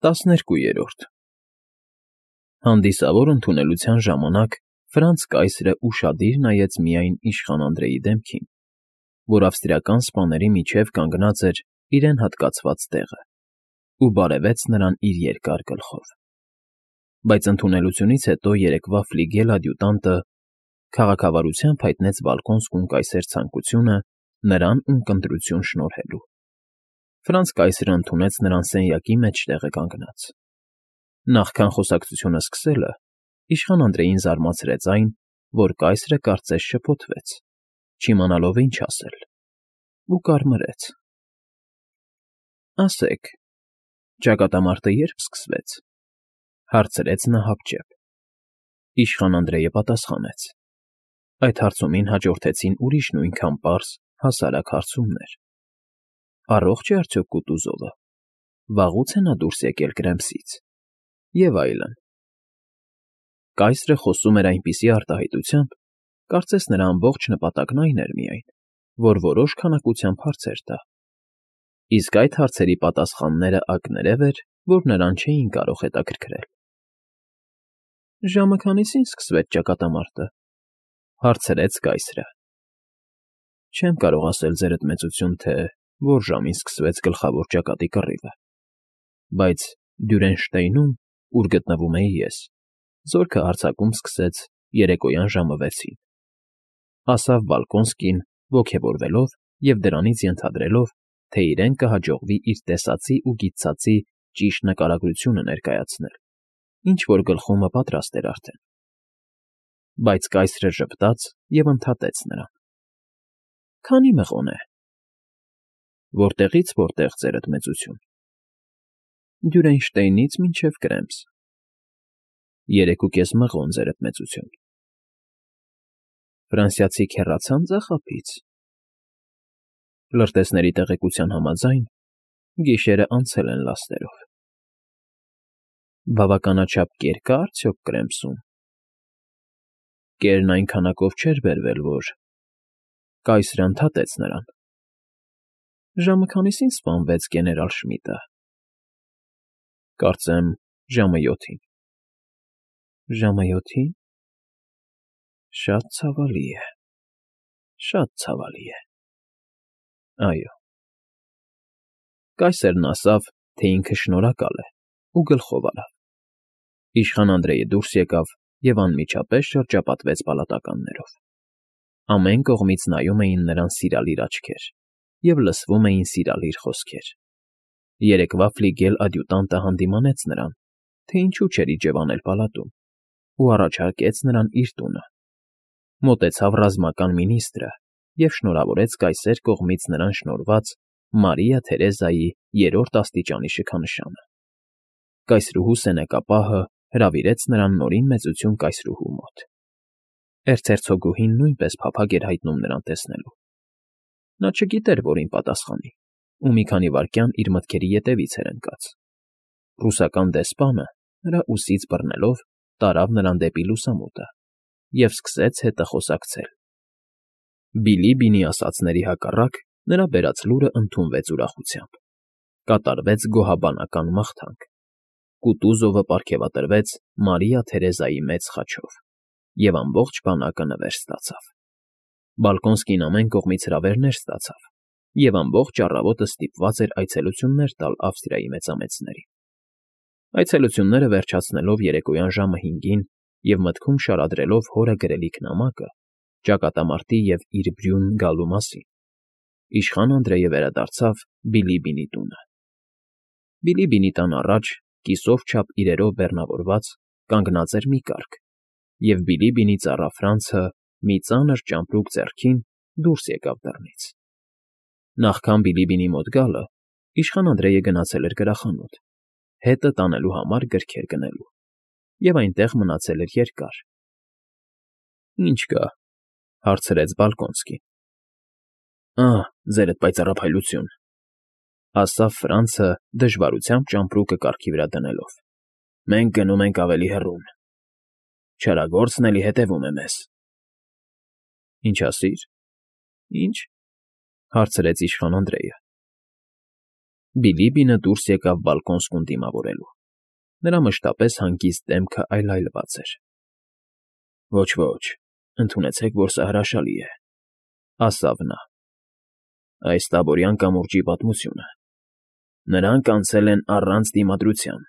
12-րդ Հանդիսավոր ընդունելության ժամանակ Ֆրանց կայսրը ուշադիր նայեց միայն իշխան Անդրեի դեմքին, որ ավստրիական սպաների միջև կանգնած էր իրեն հատկացված տեղը, ու բարևեց նրան իր երկար գլխով։ Բայց ընդունելությունից հետո երեկվա ֆլիգելադյուտանտը քաղաքավարությամբ հայտնեց Բալկոնսկուն կայսեր ցանկությունը նրան ունկնդրություն շնորհելու։ Ֆրանց կայսրը ընդունեց նրան սենյակի մեջտեղը կանգնած։ Նախքան խոսակցությունը սկսելը, իշխան Անդրեին զարմացրեց այն, որ կայսրը կարծես շփոթվեց, չիմանալով ինչ ասել, ու կարմրեց։ Ասեք, ճակատամարտը ե՞րբ սկսվեց, հարցրեց նա հապճեպ։ Իշխան Անդրեյը պատասխանեց. Այդ հարցումին հաջորդեցին ուրիշ նույնքան պարզ, հասարակ հարցումներ. Առողջ է արդյոք Կուտուզովը, վաղուց է նա դուրս եկել Կրեմսից, և այլն։ Կայսրը խոսում էր այնպիսի արտահայտությամբ, կարծես նրա ամբողջ նպատակն այն էր միայն, որ որոշ քանակությամբ հարցեր տա։ Իսկ այդ հարցերի պատասխանները ակներև էր, որ նրան չէին կարող հետաքրքրել։ Ժամը քանիսին սկսվեց ճակատամարտը, հարցրեց կայսրը։ Չեմ կարող ասել, ձերդ մեծություն, թե որ ժամին սկսվեց գլխավոր ճակատի կռիվը, բայց Դյուրենշտեյնում, ուր գտնվում էի ես, զորքը հարձակում սկսեց երեկոյան ժամը 6-ին, ասավ Բալկոնսկին ոգևորվելով և դրանից ենթադրելով, թե իրեն կհաջողվի իր տեսածի ու գիտծածի ճիշտ նկարագրությունը ներկայացնել, ինչ֊որ գլխումը պատրաստ էր արդեն։ Բայց կայսրը ժպտաց և ընդհատեց նրան. Քանի մղոն է։ Որտեղից որտեղ, ձերդ մեծություն։ Դյուրենշտեյնից մինչև Կրեմս։ 3.5 մղոն, ձերդ մեծություն։ Ֆրանսիացիք հեռացա՞ն ձախափից։ Լրտեսների տեղեկության համաձայն, գիշերը անցել են լաստերով։ Բավականաչափ կեր կա՞ արդյոք Կրեմսում։ Կերն այն քանակով չէր բերվել, որ… Կայսրը ընդհատեց նրան. Ժամը քանիսին սպանվեց գեներալ Շմիդտը։ Կարծեմ, ժամը 7-ին։ Ժամը 7-ին։ Շատ ցավալի է, շատ ցավալի է։ Այո։ Կայսրն ասավ, թե ինքը շնորհակալ է, ու գլխով արավ։ Իշխան Անդրեյը դուրս եկավ և անմիջապես շրջապատվեց պալատականներով։ Ամեն կողմից նայում էին նրան սիրալիր աչքեր և լսվում էին սիրալիր խոսքեր։ Երեկվա ֆլիգել ադյուտանտը հանդիմանեց նրան, թե ինչու չէր իջևանել պալատում, ու առաջարկեց նրան իր տունը։ Մոտեցավ ռազմական մինիստրը և շնորհավորեց կայսեր կողմից նրան շնորհված Մարիա Թերեզայի 3-րդ աստիճանի շքանշանը։ Կայսրուհու սենեկապահը հրավիրեց նրան նորին մեծություն կայսրուհու մոտ։ Էրցհերցոգուհին նույնպես փափագ էր հայտնում նրան տեսնելու։ Նա չգիտեր, որին պատասխանի, ու մի քանի վայրկյան իր մտքերի ետևից էր ընկած։ Ռուսական դեսպանը, նրա ուսից բռնելով, տարավ նրան դեպի լուսամուտը և սկսեց հետը խոսակցել։ Բիլիբինի ասածների հակառակ, նրա բերած լուրը ընդունվեց ուրախությամբ։ Կատարվեց գոհաբանական մաղթանք։ Կուտուզովը պարգևատրվեց Մարիա Թերեզայի մեծ խաչով, և ամբողջ բանակը նվեր ստացավ։ Բալկոնսկին ամեն կողմից հրավերներ ստացավ, և ամբողջ առավոտը ստիպված էր այցելություններ տալ Ավստրիայի մեծամեծներին։ Այցելությունները վերջացնելով երեկոյան ժամը 5-ին և մտքում շարադրելով հորը գրելիք նամակը, ճակատամարտի և իր Բրյուն գալու մասին, իշխան Անդրեյը վերադարձավ Բիլիբինի տունը։ Բիլիբինի տան առաջ, կիսով չափ իրերով բեռնավորված, կանգնած էր մի կառք, և Բիլիբինի ծառա Ֆրանցը, մի ծանր ճամպրուկ ձեռքին, դուրս եկավ դռնից։ Նախքան Բիլիբինի մոտ գալը, իշխան Անդրեյը գնացել էր գրախանութ, հետը տանելու համար գրքեր գնելու, և այնտեղ մնացել էր երկար։ Ինչ կա, հարցրեց Բալկոնսկին։ Ձերդ պայծառափայլություն, ասավ Ֆրանցը դժվարությամբ ճամպրուկը կառքի վրա դնելով։ Մենք գնում ենք ավելի հեռուն։ Չարագործն էլի հետևում է մեզ։ Ինչ ասիր։ Ինչ, հարցրեց իշխան Անդրեյը։ Բիլիբինը դուրս եկավ Բալկոնսկուն դիմավորելու։ Նրա մշտապես հանգիստ դեմքը այլայլված էր։ Ոչ, ընդունեցեք, որ սա հրաշալի է, ասավ նա։ Այս տաբորյան կամուրջի պատմությունը։ Նրանք անցել են առանց դիմադրության։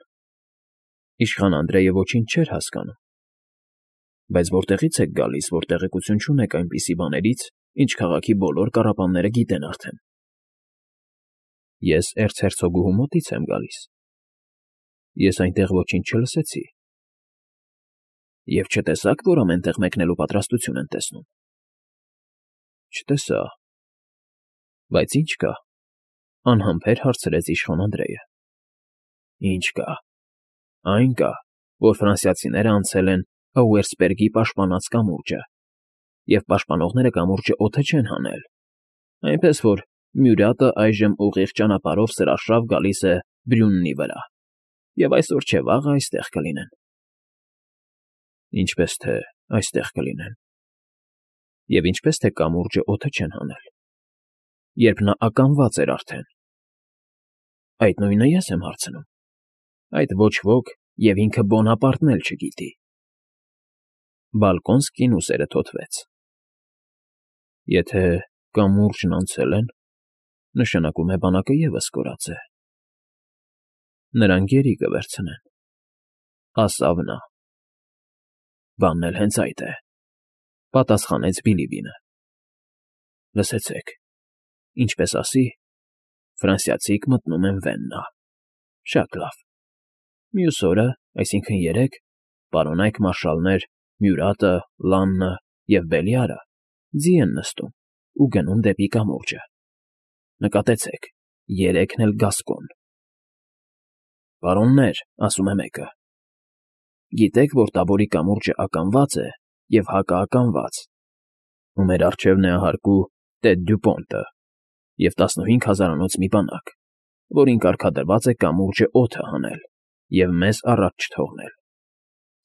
Իշխան Անդրեյը ոչինչ չէր հասկանում։ Բայց որտեղից եք գալիս, որ տեղեկություն չունեք այնպիսի բաներից, ինչ քաղաքի բոլոր կառապանները գիտեն արդեն։ Ես էրցհերցոգուհու մոտից եմ գալիս։ Ես այնտեղ ոչինչ չլսեցի։ Եվ չտեսաք, որ ամենտեղ մեկնելու պատրաստություն են տեսնում։ Չտեսա։ Բայց ինչ կա, անհամբեր հարցրեց իշխան Անդրեյը։ Ինչ կա։ Այն կա, որ ֆրանսիացիները անցել են Աուերսպերգի պաշտպանած կամուրջը, և պաշտպանողները կամուրջը օդը չեն հանել, այնպես որ Մյուրատը այժմ ուղիղ ճանապարհով սրաշավ գալիս է Բրյուննի վրա, և այսօր չէ վաղը այստեղ կլինեն։ Ինչպես թե այստեղ կլինեն։ Եվ ինչպես թե կամուրջը օդը չեն հանել, երբ նա ականված էր արդեն։ Այդ նույնը ես եմ հարցնում։ Այդ ոչ ոք և ինքը Բոնապարտն էլ չգիտի։ Բալկոնսկին ուսերը թոթվեց։ Եթե կամուրջն անցել են, նշանակում է բանակը ևս կորած է։ Նրանք գերի կվերցնեն, ասավ նա։ Բանն էլ հենց այդ է, պատասխանեց Բիլիբինը։ Լսեցեք, ինչպես ասի, ֆրանսիացիք մտնում են Վեննա։ Շատ լավ։ Մյուս օրը, այսինքն երեկ, պարոնայք մարշալներ Մյուրատը, Լաննը և Բելիարը ձի են նստում ու գնում դեպի կամուրջը։ Նկատեցեք, երեքն էլ Գասկոն։ Պարոններ, ասում է մեկը։ Գիտեք, որ Տաբորի կամուրջը ականված է և հակաականված, ու մեր առջև նահարկու Տեդ Դյուպոնտը և 15,000-անոց մի բանակ, որին կարգադրված է կամուրջը օդը հանել և մեզ առաջ չթողնել։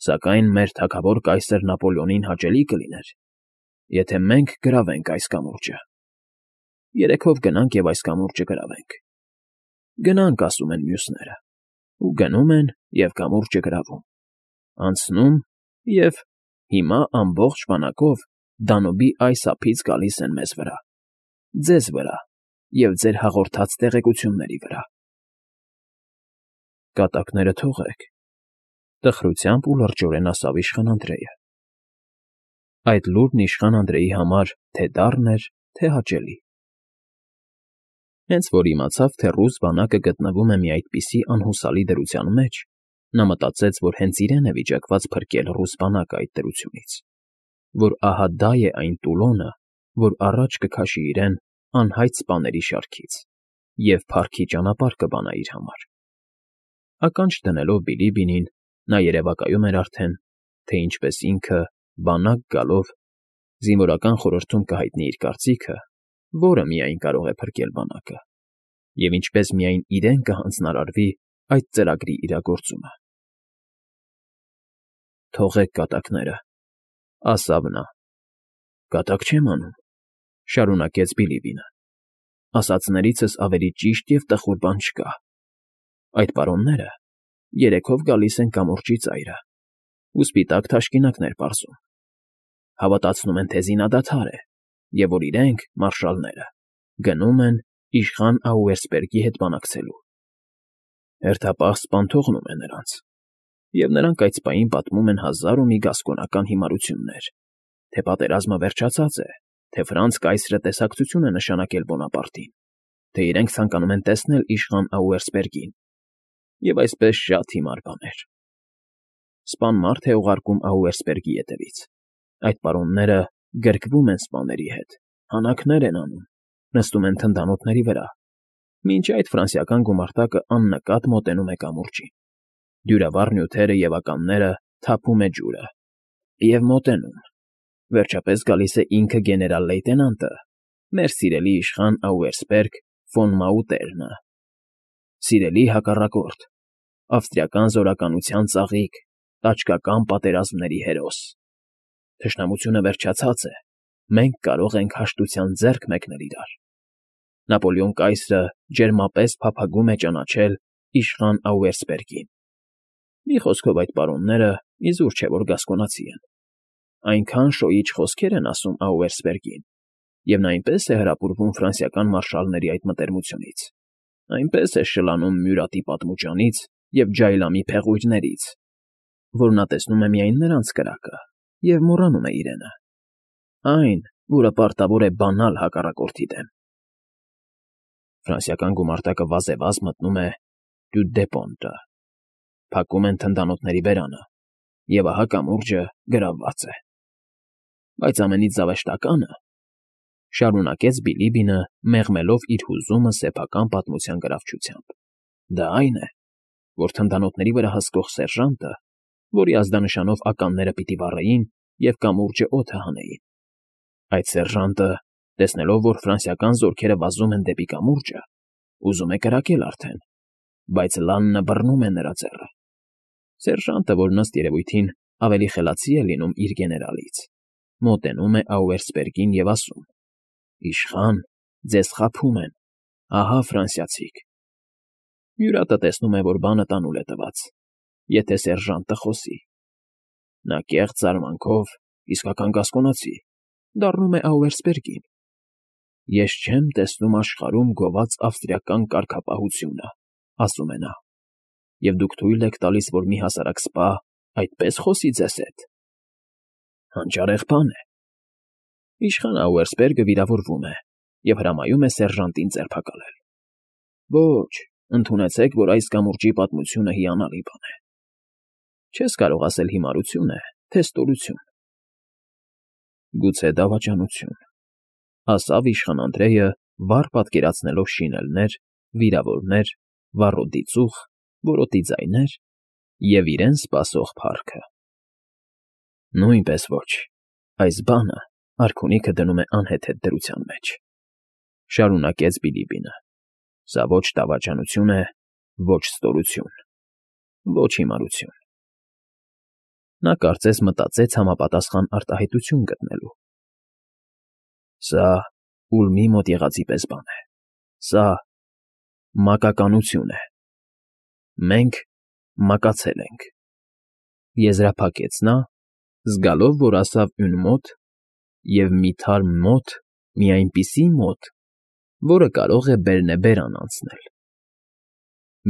Սակայն մեր թագավոր կայսր Նապոլեոնին հաճելի կլիներ, եթե մենք գրավենք այս կամուրջը։ Երեքով գնանք և այս կամուրջը գրավենք։ Գնանք, ասում են մյուսները, ու գնում են և կամուրջը գրավում։ Անցնում և հիմա ամբողջ բանակով Դանուբի այս ափից գալիս են մեզ վրա, ձեզ վրա և ձեր հաղորդած տեղեկությունների վրա։ Կատակները թողեք, տխրությամբ ու լրջորեն ասավ իշխան Անդրեյը։ Այդ լուրն իշխան Անդրեյի համար թե դառն էր, թե հաճելի։ Հենց որ իմացավ, թե ռուս բանակը գտնվում է մի այդպիսի անհուսալի դրության մեջ, նա մտածեց, որ հենց իրեն է վիճակված փրկել ռուս բանակը այդ դրությունից, որ ահա դա է այն Տուլոնը, որ առաջ կքաշի իրեն անհայտ սպաների շարքից և փառքի ճանապարհ կբանա իր համար։ Ականջ դնելով Բիլիբինին, նա երևակայում էր արդեն, թե ինչպես ինքը, բանակ գալով, զինվորական խորհրդում կհայտնի իր կարծիքը, որը միայն կարող է փրկել բանակը, և ինչպես միայն իրեն կհանձնարարվի այդ ծրագրի իրագործումը։ Թողեք կատակները, ասավ նա։ Կատակ չեմ անում, շարունակեց Բիլիբինը։ Ասածներիցս ավելի ճիշտ և տխուր բան չկա։ Այդ պարոնները երեքով գալիս են կամուրջի ծայրը ու սպիտակ թաշկինակներ պարզում։ Հավատացնում են, թե զինադադար է, և որ իրենք, մարշալները, գնում են իշխան Աուերսպերգի հետ բանակցելու։ Հերթապահ սպան թողնում է նրանց, և նրանք այդ սպային պատմում են հազար ու մի գասկոնական հիմարություններ, թե պատերազմը վերջացած է, թե Ֆրանց կայսրը տեսակցություն է նշանակել Բոնապարտին, թե իրենք ցանկանում են տեսնել իշխան Աուերսպերգին, և այսպես շատ հիմար բաներ։ Սպան մարդ է ուղարկում Աուերսպերգի ետևից։ Այդ պարոնները գրկվում են սպաների հետ, հանակներ են անում, նստում են թնդանոթների վրա, մինչ այդ ֆրանսիական գումարտակը աննկատ մոտենում է կամուրջին։ Դյուրավառ նյութերը և ականները թափում է ջուրը, և մոտենում։ Վերջապես գալիս է ինքը գեներալ֊լեյտենանտը, մեր սիրելի իշխան Աուերսպերգ ֆոն Մաուտերնը։ Սիրելի հակառակորդ, ավստրիական զորականության ծաղիկ, տաճկական պատերազմների հերոս։ Թշնամությունը վերջացած է, մենք կարող ենք հաշտության ձեռք մեկնել իրար։ Նապոլեոն կայսրը ջերմապես փափագում է ճանաչել իշխան Աուերսպերգին։ Մի խոսքով այդ պարոնները իզուր չէ, որ գասկոնացի են. այնքան շոյիչ խոսքեր են ասում Աուերսպերգին, և նա այնպես է հրապուրվում ֆրանսիական մարշալների այդ մտերմությունից, այնպես է շլանում Մյուրատի պատմուճանից և Ջայլամի փեղույրներից, որ նա տեսնում է միայն նրանց կրակը և մոռանում է իրենը, այն, որը պարտավոր է բանալ հակառակորդի դեմ։ Ֆրանսիական գումարտակը վազևազ մտնում է Դյուդեպոնտը, փակում են թնդանոթների բերանը, և ահա կամուրջը գրավված է։ Բայց ամենից զավեշտականը, շարունակեց Բիլիբինը, մեղմելով իր հուզումը սեփական պատմության գրավչությամբ, դա այն է, որ թնդանոթների վրա հսկող սերժանտը, որի ազդանշանով ականները պիտի վառեին և կամուրջը օդը հանեին, այդ սերժանտը, տեսնելով, որ ֆրանսիական զորքերը վազում են դեպի կամուրջը, ուզում է կրակել արդեն, բայց Լաննը բռնում է նրա ձեռը։ Սերժանտը, որ ըստ երևույթին ավելի խելացի է լինում իր գեներալից, մոտենում է Աուերսպերգին և ասում. «Իշխան, ձեզ խաբում են, ահա ֆրանսիացիք»։ Մյուրատը տեսնում է, որ բանը տանուլ է տված, եթե սերժանտը խոսի։ Նա կեղծ զարմանքով, իսկական գասկոնացի, դառնում է Աուերսպերգին։ «Ես չեմ տեսնում աշխարհում գոված ավստրիական կարգապահությունը», ասում է նա, «և դուք թույլ եք տալիս, որ մի հասարակ սպա այդպես խոսի ձեզ հետ։ Հանճարեղ բան է»։ Իշխան Աուերսպերգը վիրավորվում է և հրամայում է սերժանտին ձերբակալել։ «Ոչ, ընդունեցեք, որ այս կամուրջի պատմությունը հիանալի բան է։ Չես կարող ասել հիմարություն է, թե ստորություն»։ «Գուցե դավաճանություն», ասավ իշխան Անդրեյը, վառ պատկերացնելով շինելներ, վիրավորներ, վառոդի ծուխ, որոտի ձայներ և իրեն սպասող փառքը։ «Նույնպես ոչ, այս բանը արքունիքը դնում է անհեթեթ դրության մեջ», շարունակեց Բիլիբինը։ «Սա ոչ դավաճանություն է, ոչ ստորություն, ոչ հիմարություն»։ Նա կարծես մտածեց համապատասխան արտահայտություն գտնելու։ «Սա Ուլմի մոտ եղածի պես բան է, սա մակականություն է։ Մենք մակացել ենք», եզրափակեց նա, զգալով, որ ասավ «ուն մոտ» և «մի թարմ մոտ», մի այնպիսի մոտ, որը կարող է բերնեբերան անցնել։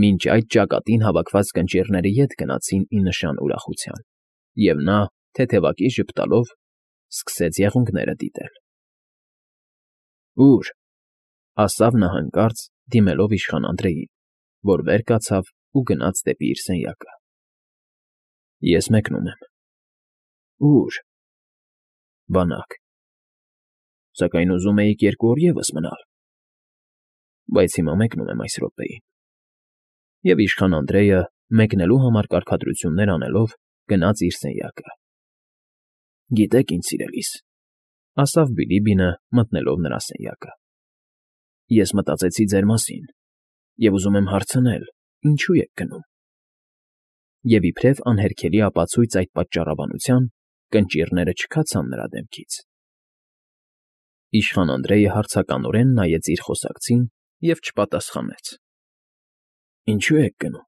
Մինչ այդ ճակատին հավաքված կնճիռները ետ գնացին ի նշան ուրախության, և նա, թեթևակի ժպտալով, սկսեց եղունգները դիտել։ «Ո՞ւր», ասավ նա հանկարծ, դիմելով իշխան Անդրեյին, որ վեր կացավ ու գնաց դեպի իր սենյակը։ «Ես մեկնում եմ»։ «Ո՞ւր»։ «Բանակ»։ «Սակայն ուզում էիք 2 օր ևս մնալ»։ «Բայց հիմա մեկնում եմ այս րոպեին»։ Եվ իշխան Անդրեյը, մեկնելու համար կարգադրություններ անելով, գնաց իր սենյակը։ «Գիտեք, իմ սիրելիս», ասավ Բիլիբինը, մտնելով նրա սենյակը, «ես մտածեցի ձեր մասին և ուզում եմ հարցնել, ինչո՞ւ եք գնում»։ Եվ իբրև անհերքելի ապացույց այդ պատճառաբանության, կնճիռները չքացան նրա դեմքից։ Իշխան Անդրեյը հարցականորեն նայեց իր խոսակցին և չպատասխանեց։ «Ինչո՞ւ եք գնում։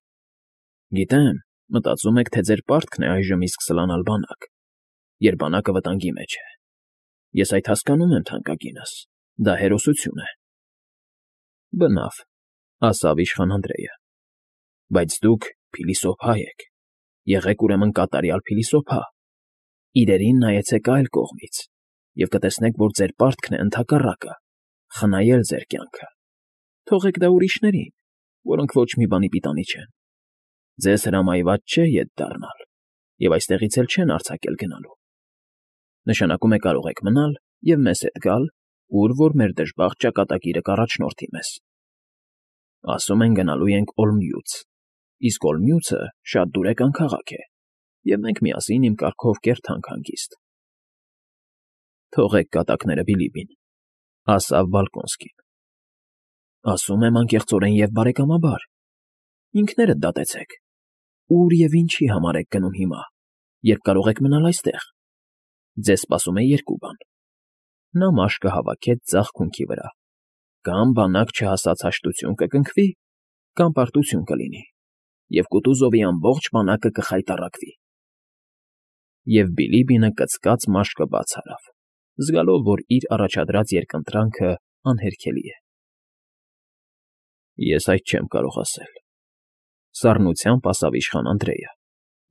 Գիտեմ, մտածում եք, թե ձեր պարտքն է այժմ իսկ սլանալ բանակ, երբ բանակը վտանգի մեջ է։ Ես այդ հասկանում եմ, թանկագինս, դա հերոսություն է»։ «Բնավ», ասավ իշխան Անդրեյը, «բայց դուք փիլիսոփա եք, եղեք ուրեմն կատարյալ փիլիսոփա, իրերին նայեցեք այլ կողմից և կտեսնեք, որ ձեր պարտքն է ընդհակառակը, խնայել ձեր կյանքը։ Թողեք դա ուրիշներին, որոնք ոչ մի բանի պիտանի չեն։ Ձեզ հրամայված չէ ետ դառնալ, և այստեղից էլ չեն արձակել գնալու։ Նշանակում է կարող եք մնալ և մեզ հետ գալ, ուր որ մեր դժբախտ ճակատագիրը կառաջնորդի մեզ։ Ասում են գնալու ենք Օլմյուց, իսկ Օլմյուցը շատ դուրեկան քաղաք է, և մենք միասին իմ կարգով կերթանք հանգիստ»։ «Թողեք կատակները, Բիլիբին», ասավ Բալկոնսկին։ «Ասում եմ անկեղծորեն և բարեկամաբար, ինքներդ դատեցեք, ուր և ինչի համար եք գնում հիմա, երբ կարող եք մնալ այստեղ։ Ձեզ սպասում է 2 բան. նա մաշկը հավաքեց ձախ քունքի վրա, կամ բանակ չհասած հաշտություն կկնքվի, կամ պարտություն կլինի, և Կուտուզովի ամբողջ բանակը կխայտառակվի։ Եվ Բիլիբինը կծկած մաշկը բաց արավ, զգալով, որ իր առաջադրած երկընտրանքը անհերքելի է։ Ես այդ չեմ կարող ասել,֊ սառնությամբ ասաց իշխան Անդրեյը,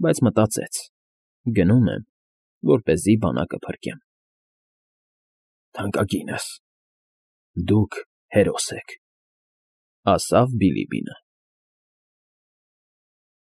բայց մտածեց. գնում եմ, որպեսզի բանակը փրկեմ։ Թանկագինս, դուք հերոս եք,֊ ասաց Բիլիբինը։